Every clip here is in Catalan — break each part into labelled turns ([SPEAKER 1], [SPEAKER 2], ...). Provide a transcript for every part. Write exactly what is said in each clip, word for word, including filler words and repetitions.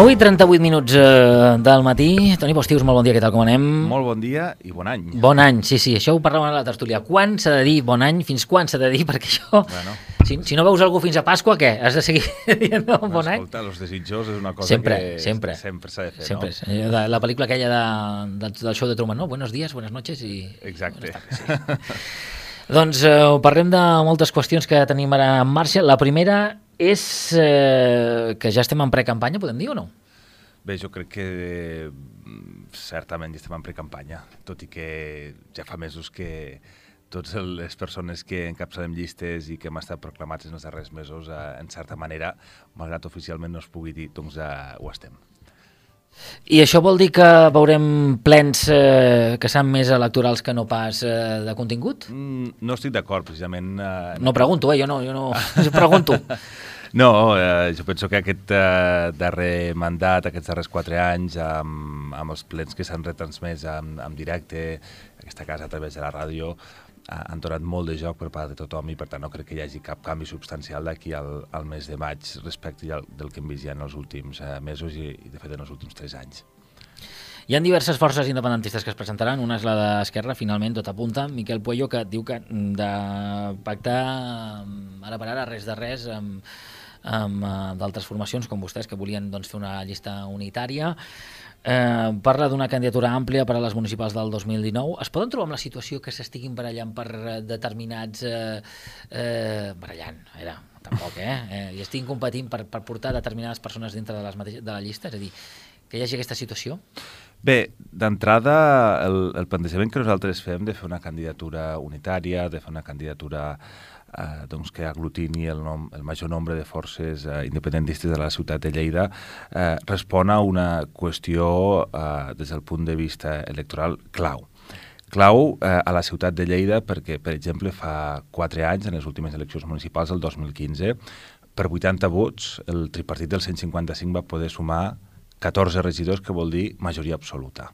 [SPEAKER 1] nou i trenta-vuit minuts eh, del matí. Toni Postius, molt bon dia, què tal, com anem?
[SPEAKER 2] Molt bon dia i bon any.
[SPEAKER 1] Bon any, sí, sí, això ho parlàvem a la tertúlia. Quan s'ha de dir bon any? Fins quan s'ha de dir? Perquè això,
[SPEAKER 2] Bueno.
[SPEAKER 1] si, si no veus algú fins a Pasqua, què? Has de seguir dient no, bon any?
[SPEAKER 2] Escolta, els desitjos és una cosa
[SPEAKER 1] Sempre,
[SPEAKER 2] que
[SPEAKER 1] sempre.
[SPEAKER 2] sempre s'ha de fer,
[SPEAKER 1] Sempre.
[SPEAKER 2] no?
[SPEAKER 1] Eh, de- La pel·lícula aquella de, de, del show de Truman, no? Buenos días, buenas noches i...
[SPEAKER 2] Exacte.
[SPEAKER 1] Buenas tardes, sí. Doncs eh, parlem de moltes qüestions que tenim ara en marxa. La primera és eh, que ja estem en precampanya, podem dir o no?
[SPEAKER 2] Bé, jo crec que mm, certament ja estem en precampanya, tot i que ja fa mesos que totes les persones que encapçalem llistes i que hem estat proclamats en els darrers mesos, eh, en certa manera, malgrat oficialment no es pugui dir, doncs eh, ho estem.
[SPEAKER 1] I això vol dir que veurem plens eh, que seran més electorals que no pas eh, de contingut?
[SPEAKER 2] Mm, no estic d'acord, precisament... Eh,
[SPEAKER 1] No pregunto, eh? Jo no, jo no jo pregunto.
[SPEAKER 2] No, eh, jo penso que aquest eh, darrer mandat, aquests darrers quatre anys, amb, amb els plens que s'han retransmès en, en directe, en aquesta casa a través de la ràdio, eh, han donat molt de joc per part de tothom i per tant no crec que hi hagi cap canvi substancial d'aquí al, al mes de maig respecte al, del que hem vist ja en els últims eh, mesos i, i de fet en els últims tres anys.
[SPEAKER 1] Hi ha diverses forces independentistes que es presentaran. Una és la d'Esquerra, finalment, tot apunta. Miquel Puello, que diu que de pactar mm, ara per ara res de res amb, amb uh, d'altres formacions com vostès que volien doncs, fer una llista unitària. Eh, parla d'una candidatura àmplia per a les municipals del dos mil dinou. Es poden trobar amb la situació que s'estiguin barallant per eh, determinats... Eh, eh, barallant, a veure, tampoc, eh? eh I estiguin competint per, per portar determinades persones dintre de, les mateixes, de la llista? És a dir, que hi hagi aquesta situació?
[SPEAKER 2] Bé, d'entrada, el, el plantejament que nosaltres fem de fer una candidatura unitària, de fer una candidatura eh, doncs, que aglutini el, nom, el major nombre de forces eh, independentistes de la ciutat de Lleida, eh, respon a una qüestió eh, des del punt de vista electoral clau. Clau eh, a la ciutat de Lleida perquè, per exemple, fa quatre anys, en les últimes eleccions municipals, el dos mil quinze, per vuitanta vots, el tripartit del cent cinquanta-cinc va poder sumar catorze regidors, que vol dir majoria absoluta.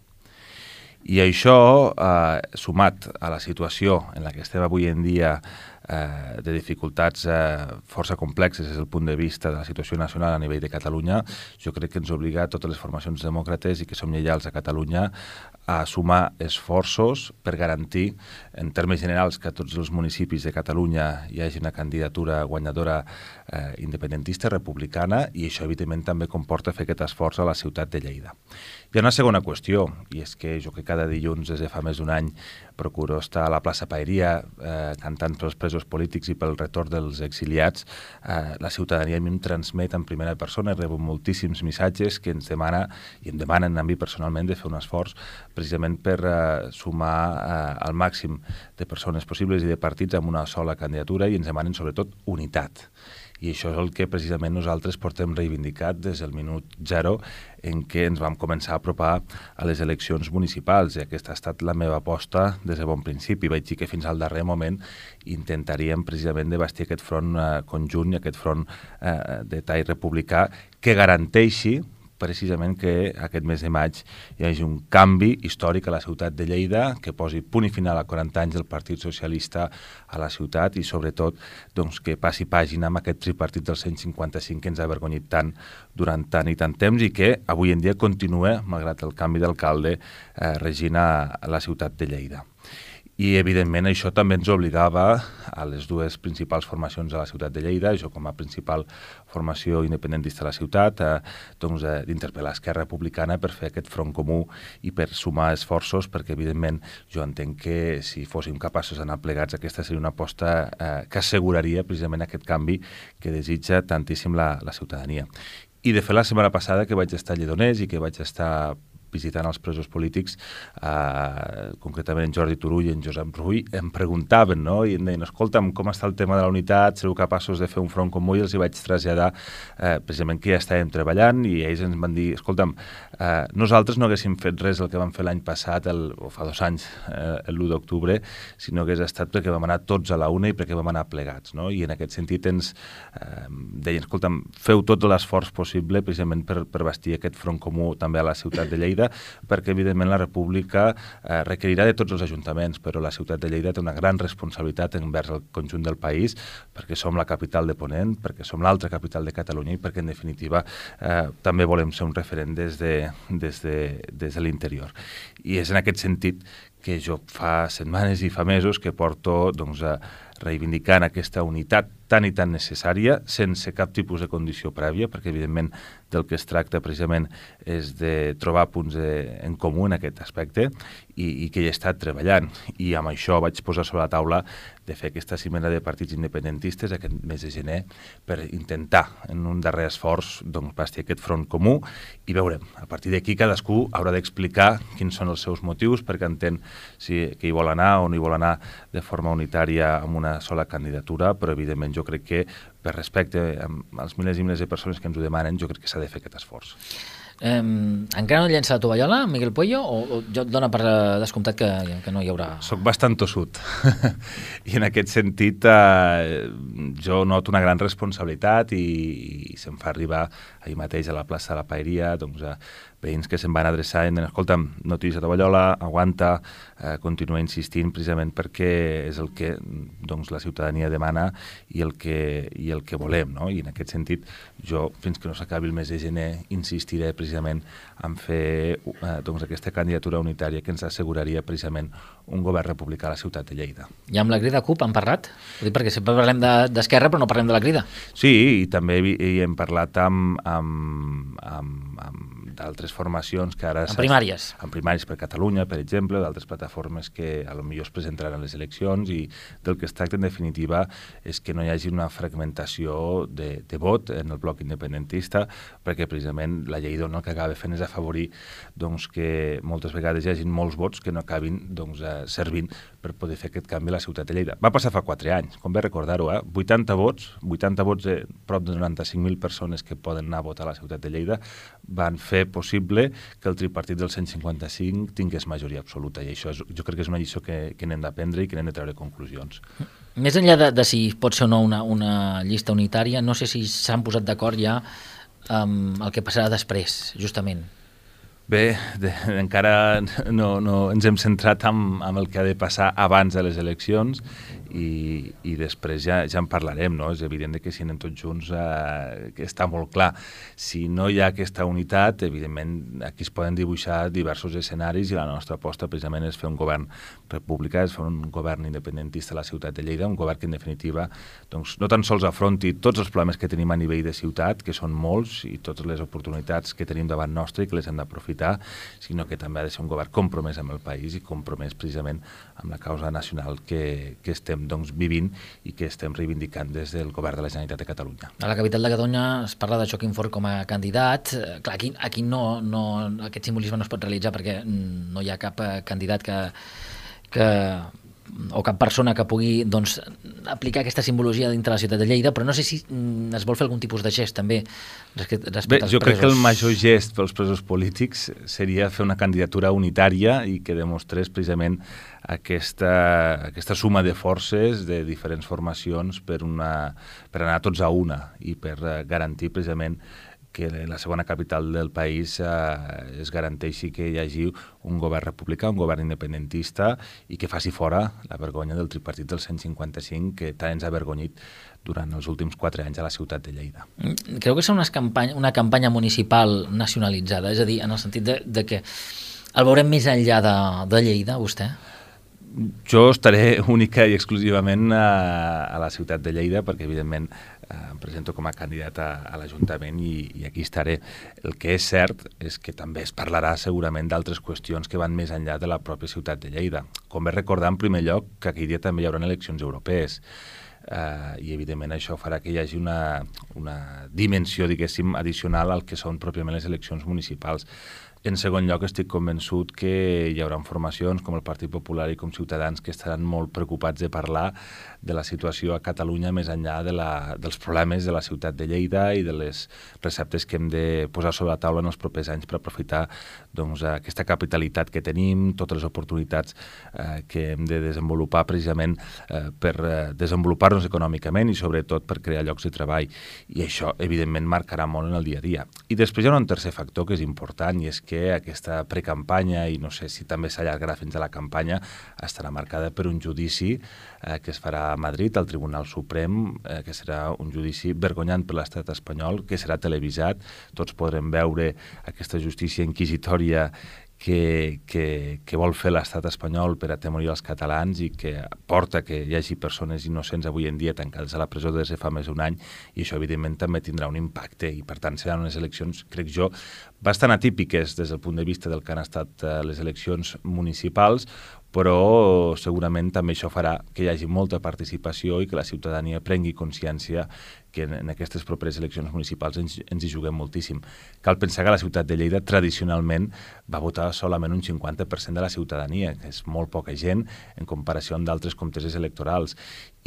[SPEAKER 2] I això, eh, sumat a la situació en la que estem avui en dia eh, de dificultats eh, força complexes des del punt de vista de la situació nacional a nivell de Catalunya, jo crec que ens obliga a totes les formacions demòcrates i que som lleials a Catalunya a sumar esforços per garantir, en termes generals, que a tots els municipis de Catalunya hi hagi una candidatura guanyadora eh, independentista, republicana, i això, evidentment, també comporta fer aquest esforç a la ciutat de Lleida. Hi ha una segona qüestió, i és que jo que cada dilluns, des de fa més d'un any, procuro estar a la plaça Paeria eh, cantant pels presos polítics i pel retorn dels exiliats. Eh, la ciutadania a mi em transmet en primera persona, rebo moltíssims missatges que ens demana, i em demanen a mi personalment, de fer un esforç precisament per eh, sumar eh, el màxim de persones possibles i de partits amb una sola candidatura, i ens demanen sobretot unitat. I això és el que precisament nosaltres portem reivindicat des del minut zero en què ens vam començar a apropar a les eleccions municipals, i aquesta ha estat la meva aposta des de bon principi. Vaig dir que fins al darrer moment intentaríem precisament de bastir aquest front eh, conjunt i aquest front eh, de tall republicà que garanteixi precisament que aquest mes de maig hi hagi un canvi històric a la ciutat de Lleida, que posi punt i final a quaranta anys del Partit Socialista a la ciutat i, sobretot, doncs, que passi pàgina amb aquest tripartit del cent cinquanta-cinc que ens ha avergonyit tant durant tant i tant temps i que avui en dia continua, malgrat el canvi d'alcalde, eh, regint a la ciutat de Lleida. I, evidentment, això també ens obligava a les dues principals formacions de la ciutat de Lleida, jo com a principal formació independentista de la ciutat, eh, doncs, eh, d'interpel·lar Esquerra Republicana per fer aquest front comú i per sumar esforços, perquè, evidentment, jo entenc que si fóssim capaços d'anar plegats, aquesta seria una aposta eh, que asseguraria precisament aquest canvi que desitja tantíssim la, la ciutadania. I, de fet, la setmana passada que vaig estar a Lledoners i que vaig estar visitant els presos polítics, eh, concretament en Jordi Turull i en Josep Rull, em preguntaven, no? I em deien, escolta'm, com està el tema de la unitat? Sereu capaços de fer un front comú? I els hi vaig traslladar eh, precisament que ja estàvem treballant, i ells ens van dir, escolta'm, eh, nosaltres no haguéssim fet res el que vam fer l'any passat, el, o fa dos anys, eh, l'u d'octubre, sinó que hagués estat perquè vam anar tots a la una i perquè vam anar plegats, no? I en aquest sentit ens eh, deien, escolta'm, feu tot l'esforç possible precisament per, per bastir aquest front comú també a la ciutat de Lleida, Lleida, perquè evidentment la república eh, requerirà de tots els ajuntaments, però la ciutat de Lleida té una gran responsabilitat envers el conjunt del país, perquè som la capital de Ponent, perquè som l'altra capital de Catalunya i perquè en definitiva eh, també volem ser un referent des de, des de, des de l'interior. I és en aquest sentit que jo fa setmanes i fa mesos que porto doncs, a reivindicant aquesta unitat tan i tan necessària, sense cap tipus de condició prèvia, perquè evidentment del que es tracta precisament és de trobar punts de, en comú en aquest aspecte i, i que hi he estat treballant. I amb això vaig posar sobre la taula de fer aquesta cimera de partits independentistes aquest mes de gener per intentar, en un darrer esforç, doncs, bastir aquest front comú i veurem. A partir d'aquí cadascú haurà d'explicar quins són els seus motius perquè entén si que hi vol anar o no hi vol anar de forma unitària amb una sola candidatura, però evidentment jo crec que per respecte als milers i milers de persones que ens ho demanen, jo crec que s'ha de fer aquest esforç.
[SPEAKER 1] Eh, encara no llença la tovallola, Miguel Pueyo, o, o jo et dona per descomptat que, que no hi haurà...
[SPEAKER 2] Soc bastant tossut i en aquest sentit eh, jo noto una gran responsabilitat i, i se'm fa arribar ahir mateix a la plaça de la Paeria doncs, a veïns que se'm van adreçar i em diuen, escolta'm, no tiris la tovallola, aguanta, eh, continua insistint precisament perquè és el que doncs, la ciutadania demana i el que, i el que volem, no? I en aquest sentit jo, fins que no s'acabi el mes de gener, insistiré precisament en fer eh, doncs, aquesta candidatura unitària que ens asseguraria precisament un govern republicà a la ciutat de Lleida.
[SPEAKER 1] I amb la crida CUP han parlat? Ho dic perquè sempre parlem d'Esquerra però no parlem de la crida.
[SPEAKER 2] Sí, i també hi, hi hem parlat amb, amb, amb, amb d'altres formacions que ara...
[SPEAKER 1] En primàries.
[SPEAKER 2] En primàries per Catalunya, per exemple, d'altres plataformes que a lo millor es presentaran a les eleccions i del que es tracta en definitiva és que no hi hagi una fragmentació de, de vot en el bloc independentista perquè precisament la llei dona el que acaba fent és afavorir doncs, que moltes vegades hi hagin molts vots que no acabin doncs, eh, servint per poder fer aquest canvi a la ciutat de Lleida. Va passar fa quatre anys, com bé recordar-ho, eh? vuitanta vots, vuitanta vots de prop de noranta-cinc mil persones que poden anar a votar a la ciutat de Lleida van fer possible que el tripartit del cent cinquanta-cinc tingués majoria absoluta i això és, jo crec que és una lliçó que, que n'hem d'aprendre i que n'hem de treure conclusions.
[SPEAKER 1] Més enllà de, de si pot ser o no una, una llista unitària, no sé si s'han posat d'acord ja amb el que passarà després, justament.
[SPEAKER 2] Bé, de, encara no, no ens hem centrat en, en el que ha de passar abans de les eleccions i, i després ja, ja en parlarem, no? És evident que si anem tots junts eh, que està molt clar. Si no hi ha aquesta unitat, evidentment aquí es poden dibuixar diversos escenaris i la nostra aposta precisament és fer un govern republicà, és fer un govern independentista a la ciutat de Lleida, un govern que en definitiva doncs, no tan sols afronti tots els problemes que tenim a nivell de ciutat, que són molts, i totes les oportunitats que tenim davant nostre i que les hem d'aprofitar, sinó que també ha de ser un govern compromès amb el país i compromès precisament amb la causa nacional que, que estem doncs, vivint i que estem reivindicant des del govern de la Generalitat de Catalunya.
[SPEAKER 1] A la capital de Catalunya es parla de Joaquim Forn com a candidat. Clar, aquí, aquí no, no, aquest simbolisme no es pot realitzar perquè no hi ha cap candidat que, que o cap persona que pugui doncs, aplicar aquesta simbologia dintre la ciutat de Lleida, però no sé si es vol fer algun tipus de gest també respecte, respecte
[SPEAKER 2] Bé,
[SPEAKER 1] als
[SPEAKER 2] jo
[SPEAKER 1] presos.
[SPEAKER 2] crec que el major gest pels presos polítics seria fer una candidatura unitària i que demostrés precisament aquesta, aquesta suma de forces de diferents formacions per, una, per anar tots a una i per garantir precisament que la segona capital del país eh, es garanteixi que hi hagi un govern republicà, un govern independentista i que faci fora la vergonya del tripartit del cent cinquanta-cinc que tant ens ha avergonyit durant els últims quatre anys a la ciutat de Lleida.
[SPEAKER 1] Creu que és una campanya, una campanya municipal nacionalitzada? És a dir, en el sentit de, de que el veurem més enllà de, de Lleida, vostè?
[SPEAKER 2] Jo estaré única i exclusivament a, a la ciutat de Lleida perquè, evidentment, em presento com a candidat a, a l'Ajuntament i, i aquí estaré. El que és cert és que també es parlarà segurament d'altres qüestions que van més enllà de la pròpia ciutat de Lleida. Com bé recordar, en primer lloc, que aquell dia també hi haurà eleccions europees. Uh, i evidentment això farà que hi hagi una, una dimensió, diguéssim, addicional al que són pròpiament les eleccions municipals. En segon lloc, estic convençut que hi haurà formacions com el Partit Popular i com Ciutadans que estaran molt preocupats de parlar de la situació a Catalunya més enllà de la, dels problemes de la ciutat de Lleida i de les receptes que hem de posar sobre la taula en els propers anys per aprofitar doncs, aquesta capitalitat que tenim, totes les oportunitats eh, que hem de desenvolupar precisament eh, per eh, desenvolupar-nos econòmicament i sobretot per crear llocs de treball. I això, evidentment, marcarà molt en el dia a dia. I després hi ha un tercer factor que és important i és que que aquesta precampanya, i no sé si també s'allargarà fins a la campanya, estarà marcada per un judici eh, que es farà a Madrid, al Tribunal Suprem, eh, que serà un judici vergonyant per l'estat espanyol, que serà televisat. Tots podrem veure aquesta justícia inquisitòria que, que, que vol fer l'estat espanyol per atemorir els catalans i que porta que hi hagi persones innocents avui en dia tancades a la presó des de fa més d'un any, i això evidentment també tindrà un impacte, i per tant seran unes eleccions, crec jo, bastant atípiques des del punt de vista del que han estat eh, les eleccions municipals, però segurament també això farà que hi hagi molta participació i que la ciutadania prengui consciència que en, en aquestes properes eleccions municipals ens, ens hi juguem moltíssim. Cal pensar que la ciutat de Lleida tradicionalment va votar solament un cinquanta per cent de la ciutadania, que és molt poca gent en comparació amb d'altres comteses electorals.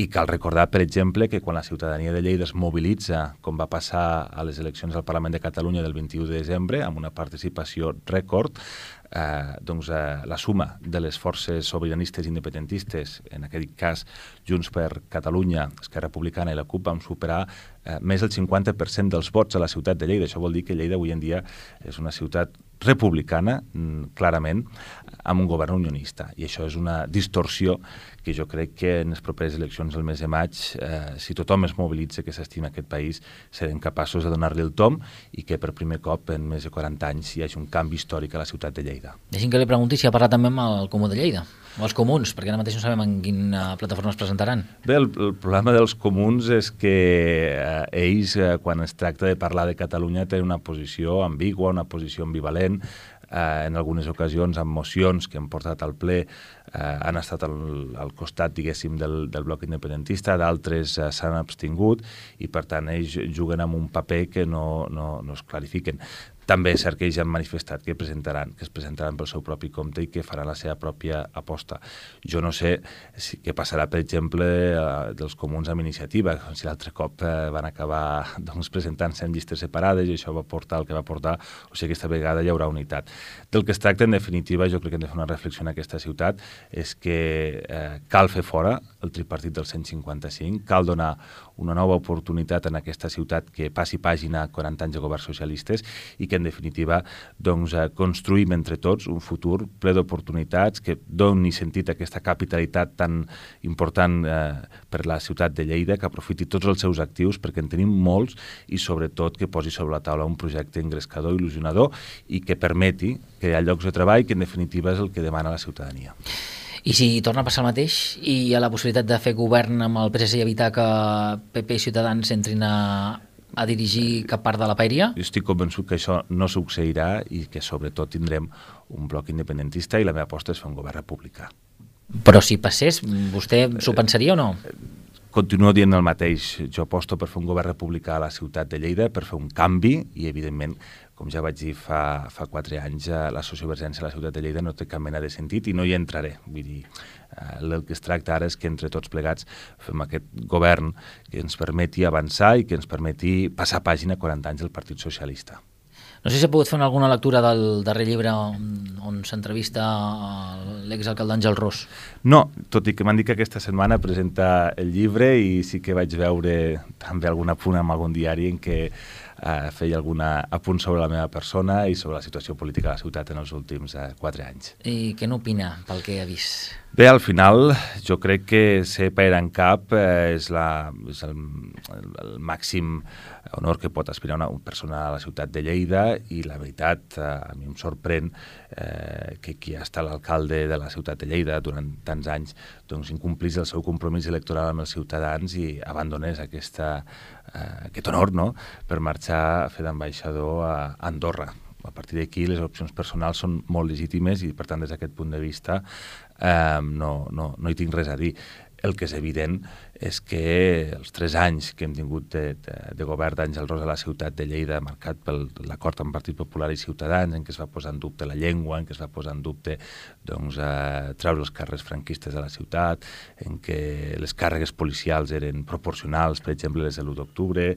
[SPEAKER 2] I cal recordar, per exemple, que quan la ciutadania de Lleida es mobilitza, com va passar a les eleccions al Parlament de Catalunya del vint-i-u de desembre, amb una participació rècord, eh, doncs eh, la suma de les forces sobiranistes independentistes, en aquest cas Junts per Catalunya, Esquerra Republicana i la CUP, vam superar eh, més del cinquanta per cent dels vots a la ciutat de Lleida. Això vol dir que Lleida avui en dia és una ciutat republicana, clarament, amb un govern unionista. I això és una distorsió que jo crec que en les properes eleccions del mes de maig, eh, si tothom es mobilitza que s'estima aquest país, serem capaços de donar-li el tom i que per primer cop en més de quaranta anys hi hagi un canvi històric a la ciutat de Lleida.
[SPEAKER 1] Deixi'm que li pregunti si ha parlat també amb el Comú de Lleida, o els comuns, perquè ara mateix no sabem en quina plataforma es presentaran.
[SPEAKER 2] Bé, el, el problema dels comuns és que eh, ells, eh, quan es tracta de parlar de Catalunya, tenen una posició ambigua, una posició ambivalent. Eh, en algunes ocasions, amb mocions que han portat al ple, eh, han estat al, al costat, diguéssim, del, del bloc independentista, d'altres eh, s'han abstingut, i per tant ells juguen amb un paper que no, no, no es clarifiquen. També és cert que ells han manifestat que presentaran, que es presentaran pel seu propi compte i que faran la seva pròpia aposta. Jo no sé si, què passarà, per exemple, eh, dels comuns amb iniciativa, si l'altre cop eh, van acabar doncs, presentant-se en llistes separades i això va portar el que va portar, o sigui, aquesta vegada hi haurà unitat. Del que es tracta, en definitiva, jo crec que hem de fer una reflexió en aquesta ciutat, és que eh, cal fer fora el tripartit del cent cinquanta-cinc, cal donar una nova oportunitat en aquesta ciutat que passi pàgina a quaranta anys de governs socialistes i que en definitiva doncs, eh, construïm entre tots un futur ple d'oportunitats que doni sentit a aquesta capitalitat tan important eh, per la ciutat de Lleida, que aprofiti tots els seus actius perquè en tenim molts i sobretot que posi sobre la taula un projecte engrescador, il·lusionador i que permeti crear llocs de treball, que en definitiva és el que demana la ciutadania.
[SPEAKER 1] I si torna a passar el mateix i hi ha la possibilitat de fer govern amb el P S C i evitar que P P i Ciutadans entrin a, a dirigir cap part de la paeria?
[SPEAKER 2] Jo estic convençut que això no succeirà i que sobretot tindrem un bloc independentista i la meva aposta és fer un govern republicà.
[SPEAKER 1] Però si passés, vostè s'ho pensaria o no?
[SPEAKER 2] Continuo dient el mateix. Jo aposto per fer un govern republicà a la ciutat de Lleida, per fer un canvi i, evidentment, com ja vaig dir fa, fa quatre anys, la sociovergència a la ciutat de Lleida no té cap mena de sentit i no hi entraré. Vull dir, el que es tracta ara és que entre tots plegats fem aquest govern que ens permeti avançar i que ens permeti passar pàgina a quaranta anys del Partit Socialista.
[SPEAKER 1] No sé si ha pogut fer alguna lectura del darrer llibre on, on s'entrevista l'exalcalde Àngel Ros.
[SPEAKER 2] No, tot i que m'han dit que aquesta setmana presenta el llibre i sí que vaig veure també algun apunt en algun diari en què eh, feia algun apunt sobre la meva persona i sobre la situació política de la ciutat en els últims eh, quatre anys.
[SPEAKER 1] I què n'opina pel que ha vist?
[SPEAKER 2] Bé, al final jo crec que ser paera en cap eh, és, la, és el, el, el màxim honor que pot aspirar una persona a la ciutat de Lleida i la veritat, eh, a mi em sorprèn eh, que qui ha estat l'alcalde de la ciutat de Lleida durant tants anys doncs incomplís el seu compromís electoral amb els ciutadans i abandonés aquesta, eh, aquest honor, no?, per marxar a fer d'ambaixador a Andorra. A partir d'aquí les opcions personals són molt legítimes i per tant des d'aquest punt de vista eh, no, no, no hi tinc res a dir. El que és evident és que els tres anys que hem tingut de, de, de govern d'Àngel Ros a la ciutat de Lleida, marcat per l'acord amb Partit Popular i Ciutadans, en què es va posar en dubte la llengua, en què es va posar en dubte doncs, eh, treure els càrrecs franquistes de la ciutat, en què les càrregues policials eren proporcionals, per exemple les de l'u d'octubre,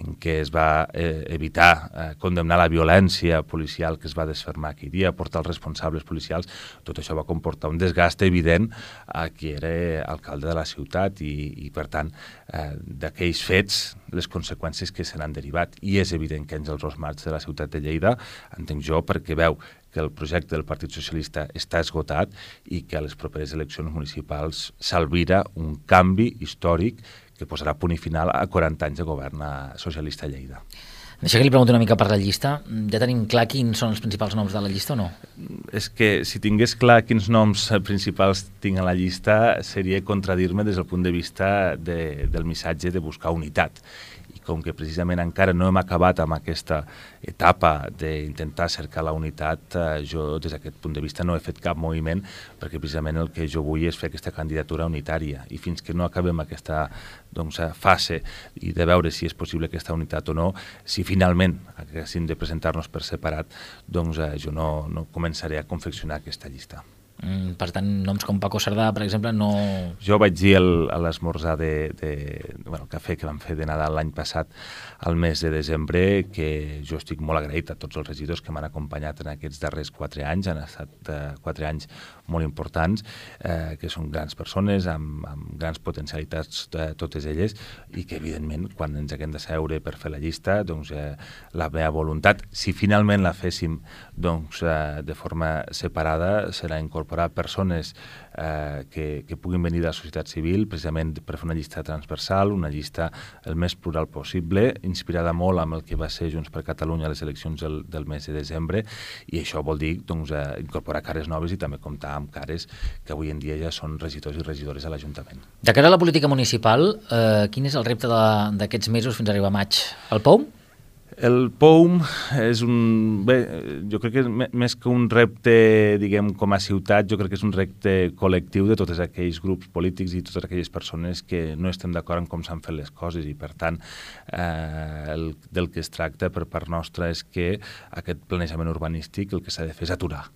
[SPEAKER 2] en què es va eh, evitar eh, condemnar la violència policial que es va desfermar aquell dia, portar els responsables policials, tot això va comportar un desgast evident a qui era alcalde venda de la ciutat i, i per tant, eh, d'aquells fets, les conseqüències que se n'han derivat. I és evident que Àngels Ros marxa de la ciutat de Lleida, entenc jo, perquè veu que el projecte del Partit Socialista està esgotat i que a les properes eleccions municipals s'albira un canvi històric que posarà punt i final a quaranta anys de govern socialista a Lleida.
[SPEAKER 1] Deixa que li pregunto una mica per la llista. Ja tenim clar quins són els principals noms de la llista o no?
[SPEAKER 2] És que si tingués clar quins noms principals tinc a la llista seria contradir-me des del punt de vista de, del missatge de buscar unitat. I com que precisament encara no hem acabat amb aquesta etapa d'intentar cercar la unitat, eh, jo des d'aquest punt de vista no he fet cap moviment perquè precisament el que jo vull és fer aquesta candidatura unitària i fins que no acabem aquesta doncs, fase i de veure si és possible aquesta unitat o no, si finalment haguéssim de presentar-nos per separat, doncs eh, jo no, no començaré a confeccionar aquesta llista.
[SPEAKER 1] Mm, per tant, noms com Paco Cerdà, per exemple, no...
[SPEAKER 2] Jo vaig dir el, a l'esmorzar de, de, bueno, el cafè que vam fer de Nadal l'any passat, al mes de desembre, que jo estic molt agraït a tots els regidors que m'han acompanyat en aquests darrers quatre anys, han estat eh, quatre anys molt importants, eh, que són grans persones, amb, amb grans potencialitats de totes elles, i que evidentment quan ens haguem de seure per fer la llista, doncs eh, la meva voluntat, si finalment la féssim doncs, eh, de forma separada, serà incorporar persones eh, que, que puguin venir de la societat civil, precisament per fer una llista transversal, una llista el més plural possible, inspirada molt amb el que va ser Junts per Catalunya a les eleccions del, del mes de desembre, i això vol dir doncs, eh, incorporar cares noves i també comptar amb cares que avui en dia ja són regidors i regidores a l'Ajuntament.
[SPEAKER 1] De cara a la política municipal, eh, quin és el repte d'aquests mesos fins a arribar a maig? El P O U M?
[SPEAKER 2] El P O U M és un... Bé, jo crec que més que un repte, diguem, com a ciutat, jo crec que és un repte col·lectiu de tots aquells grups polítics i totes aquelles persones que no estem d'acord en com s'han fet les coses i, per tant, eh, el, del que es tracta per part nostra és que aquest planejament urbanístic el que s'ha de fer és aturar.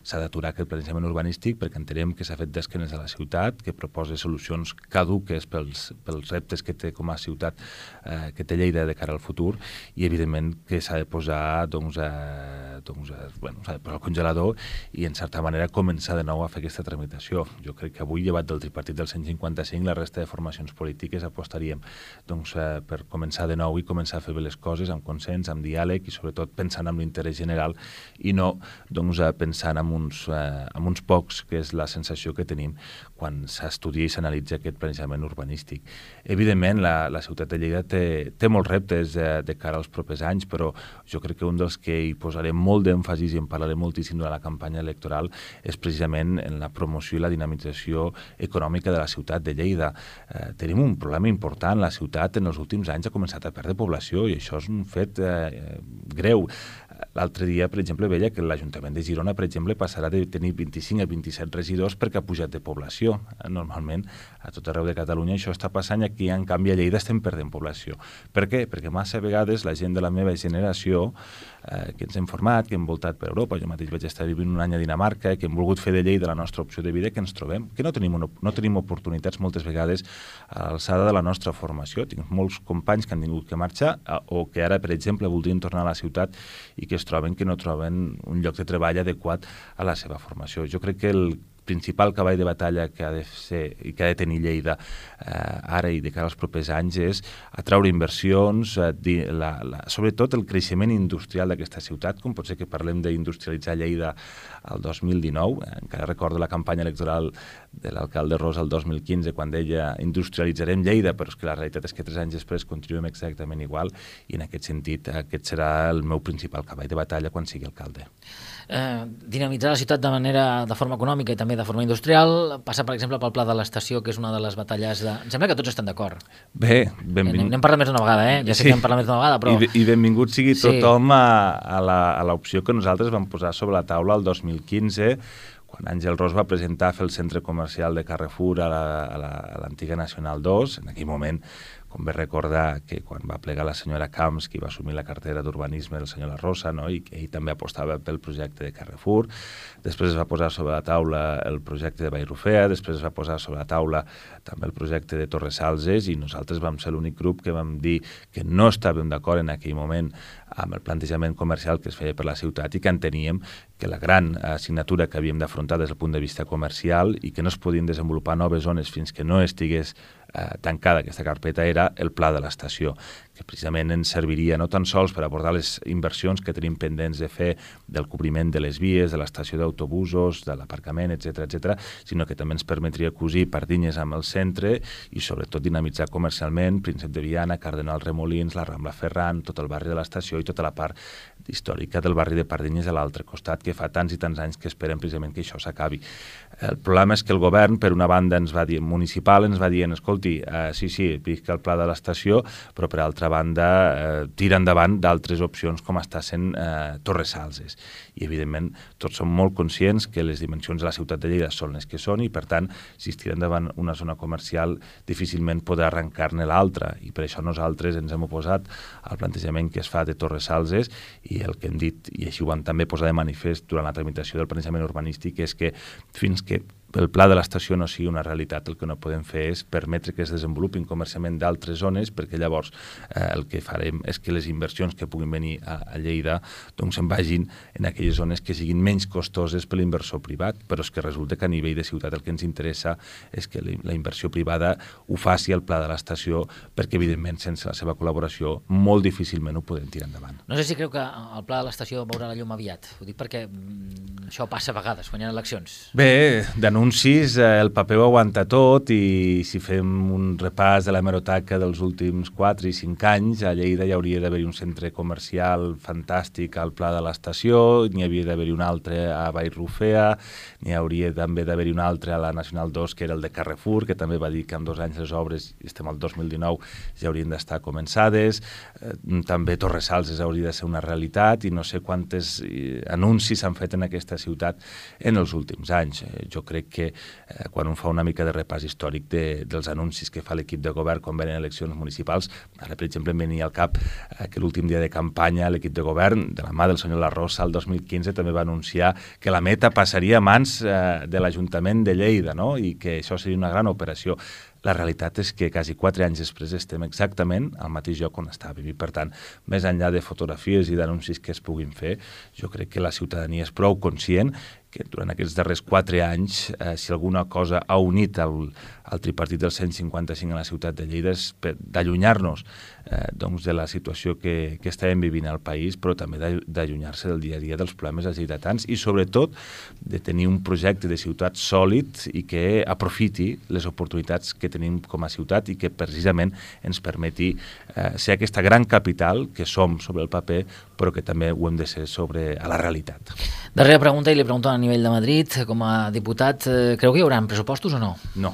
[SPEAKER 2] S'ha d'aturar aquest planejament urbanístic perquè entenem que s'ha fet d'esquenes a la ciutat, que proposa solucions caduques pels, pels reptes que té com a ciutat, eh, que té Lleida de cara al futur, i evidentment que s'ha de posar doncs, eh, doncs, eh, bueno, s'ha de posar el congelador i en certa manera començar de nou a fer aquesta tramitació. Jo crec que avui, llevat del tripartit del cent cinquanta-cinc, la resta de formacions polítiques apostaríem doncs, eh, per començar de nou i començar a fer bé les coses amb consens, amb diàleg i sobretot pensant en l'interès general i no doncs, eh, pensant en Uns, eh, amb uns pocs, que és la sensació que tenim quan s'estudia i s'analitza aquest planejament urbanístic. Evidentment, la, la ciutat de Lleida té, té molts reptes eh, de cara als propers anys, però jo crec que un dels que hi posaré molt d'èmfasis i en parlaré moltíssim durant la campanya electoral és precisament en la promoció i la dinamització econòmica de la ciutat de Lleida. Eh, tenim un problema important. La ciutat en els últims anys ha començat a perdre població i això és un fet eh, greu. L'altre dia, per exemple, veia que l'Ajuntament de Girona, per exemple, passarà de tenir vint-i-cinc a vint-i-set regidors perquè ha pujat de població. Normalment, a tot arreu de Catalunya això està passant i aquí, en canvi, a Lleida estem perdent població. Per què? Perquè massa vegades la gent de la meva generació, eh, que ens hem format, que hem voltat per Europa, jo mateix vaig estar vivint un any a Dinamarca, que hem volgut fer de Lleida la nostra opció de vida, que ens trobem, que no tenim, una, no tenim oportunitats moltes vegades a l'alçada de la nostra formació. Tinc molts companys que han tingut que marxar o que ara, per exemple, voldrien tornar a la ciutat i que es troben que no troben un lloc de treball adequat a la seva formació. Jo crec que el principal cavall de batalla que ha de ser i que ha de tenir Lleida eh, ara i de cara als propers anys és atraure inversions, eh, di, la, la, sobretot el creixement industrial d'aquesta ciutat, com pot ser que parlem d'industrialitzar Lleida el dos mil dinou, eh, encara recordo la campanya electoral de l'alcalde Ros el dos mil quinze quan deia industrialitzarem Lleida, però és que la realitat és que tres anys després continuem exactament igual i en aquest sentit aquest serà el meu principal cavall de batalla quan sigui alcalde.
[SPEAKER 1] Eh, dinamitzar la ciutat de manera de forma econòmica i també de forma industrial, passa per exemple pel pla de l'estació, que és una de les batalles de... Em sembla que tots estan d'acord.
[SPEAKER 2] Bé, benvingut.
[SPEAKER 1] N'hem parlat més d'una vegada, eh? Ja sé sí. que n'hem parlat més d'una vegada, però...
[SPEAKER 2] I, I benvingut sigui tothom sí. a, a l'opció que nosaltres vam posar sobre la taula el dos mil quinze, quan Àngel Ros va presentar fer el centre comercial de Carrefour a l'antiga Nacional dos. En aquell moment, convé recordar que quan va plegar la senyora Camps, qui va assumir la cartera d'urbanisme del senyor La Rosa, no? I que ell també apostava pel projecte de Carrefour. Després es va posar sobre la taula el projecte de Vallrufea, després es va posar sobre la taula també el projecte de Torres Salses, i nosaltres vam ser l'únic grup que vam dir que no estàvem d'acord en aquell moment amb el plantejament comercial que es feia per la ciutat i que enteníem que la gran assignatura que havíem d'afrontar des del punt de vista comercial i que no es podien desenvolupar noves zones fins que no estigués eh, tancada aquesta carpeta era el pla de l'estació, que precisament ens serviria no tan sols per abordar les inversions que tenim pendents de fer del cobriment de les vies, de l'estació d'autobusos, de l'aparcament, etcètera, etcètera, sinó que també ens permetria cosir Pardinyes amb el centre i sobretot dinamitzar comercialment Príncep de Viana, Cardenal Remolins, la Rambla Ferran, tot el barri de l'estació i tota la part històrica del barri de Pardinyes a l'altre costat, que fa tants i tants anys que esperem precisament que això s'acabi. El problema és que el govern, per una banda, ens va dir, municipal, ens va dir, escolti, eh, sí, sí, visca el pla de l'estació, però per altra banda eh, tira endavant d'altres opcions com està sent eh, Torres Salses. I, evidentment, tots som molt conscients que les dimensions de la ciutat de Lleida són les que són i, per tant, si es tira endavant una zona comercial, difícilment podrà arrencar-ne l'altra. I per això nosaltres ens hem oposat al plantejament que es fa de Torres Salses i el que hem dit, i així ho vam també posar de manifest durant la tramitació del planejament urbanístic, és que fins que el pla de l'estació no sigui una realitat, el que no podem fer és permetre que es desenvolupin comercialment d'altres zones, perquè llavors eh, el que farem és que les inversions que puguin venir a, a Lleida doncs se'n vagin en aquelles zones que siguin menys costoses per l'inversor privat, però és que resulta que a nivell de ciutat el que ens interessa és que la inversió privada ho faci al pla de l'estació, perquè evidentment sense la seva col·laboració molt difícilment ho podem tirar endavant.
[SPEAKER 1] No sé si creu que el pla de l'estació veurà la llum aviat, ho dic perquè mm, això passa a vegades quan hi ha eleccions.
[SPEAKER 2] Bé, de anuncis, el paper ho aguanta tot i si fem un repàs de la hemeroteca dels últims quatre i cinc anys, a Lleida hi hauria d'haver-hi un centre comercial fantàstic al Pla de l'Estació, n'hi havia d'haver-hi un altre a Vallrufea, n'hi hauria també d'haver-hi un altre a la Nacional dos, que era el de Carrefour, que també va dir que en dos anys les obres, estem al dos mil dinou, ja haurien d'estar començades, eh, també Torres Salses hauria de ser una realitat i no sé quantes eh, anuncis s'han fet en aquesta ciutat en els últims anys. Eh, jo crec que eh, quan un fa una mica de repàs històric de, dels anuncis que fa l'equip de govern quan venen eleccions municipals, ara per exemple em venia al cap eh, que l'últim dia de campanya l'equip de govern, de la mà del senyor La Rosa, el dos mil quinze també va anunciar que la meta passaria a mans eh, de l'Ajuntament de Lleida, no? I que això seria una gran operació. La realitat és que quasi quatre anys després estem exactament al mateix lloc on estàvem i, per tant, més enllà de fotografies i d'anuncis que es puguin fer, jo crec que la ciutadania és prou conscient que durant aquests darrers quatre anys, eh, si alguna cosa ha unit el, el tripartit del cent cinquanta-cinc a la ciutat de Lleida és d'allunyar-nos eh, doncs de la situació que, que estàvem vivint al país, però també d'allunyar-se del dia a dia dels problemes dels lleidatans i, sobretot, de tenir un projecte de ciutat sòlid i que aprofiti les oportunitats que tenim com a ciutat i que precisament ens permeti eh, ser aquesta gran capital que som sobre el paper, però que també ho hem de ser sobre a la realitat.
[SPEAKER 1] Darrera pregunta, i li pregunto a nivell de Madrid, com a diputat, eh, creu que hi haurà pressupostos o no?
[SPEAKER 2] No.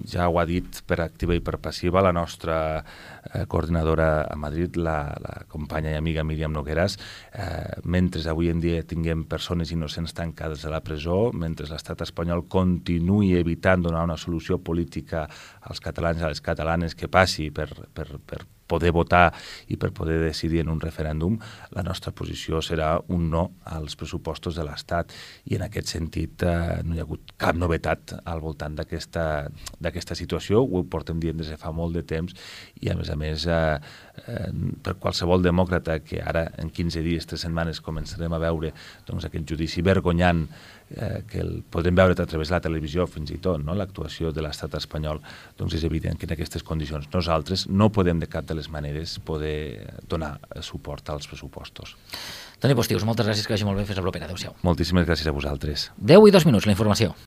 [SPEAKER 2] Ja ho ha dit per activa i per passiva la nostra eh, coordinadora a Madrid, la, la companya i amiga Míriam Nogueras. Eh, mentre avui en dia tinguem persones innocents tancades a la presó, mentre l'estat espanyol continuï evitant donar una solució política als catalans i a les catalanes que passi per, per, per poder votar i per poder decidir en un referèndum, la nostra posició serà un no als pressupostos de l'Estat i en aquest sentit eh, no hi ha hagut cap novetat al voltant d'aquesta d'aquesta situació, ho portem dient des de fa molt de temps i a més a més eh, eh, per qualsevol demòcrata que ara en quinze dies, tres setmanes començarem a veure doncs, aquest judici vergonyant eh, que el podrem veure a través de la televisió fins i tot, no? L'actuació de l'estat espanyol, doncs és evident que en aquestes condicions nosaltres no podem de cap de les maneres poder donar suport als pressupostos.
[SPEAKER 1] Toni Postius, moltes gràcies, que vagi molt bé, fins la propera. Adéu-siau.
[SPEAKER 2] Moltíssimes gràcies a vosaltres.
[SPEAKER 1] deu i dos minuts, la informació.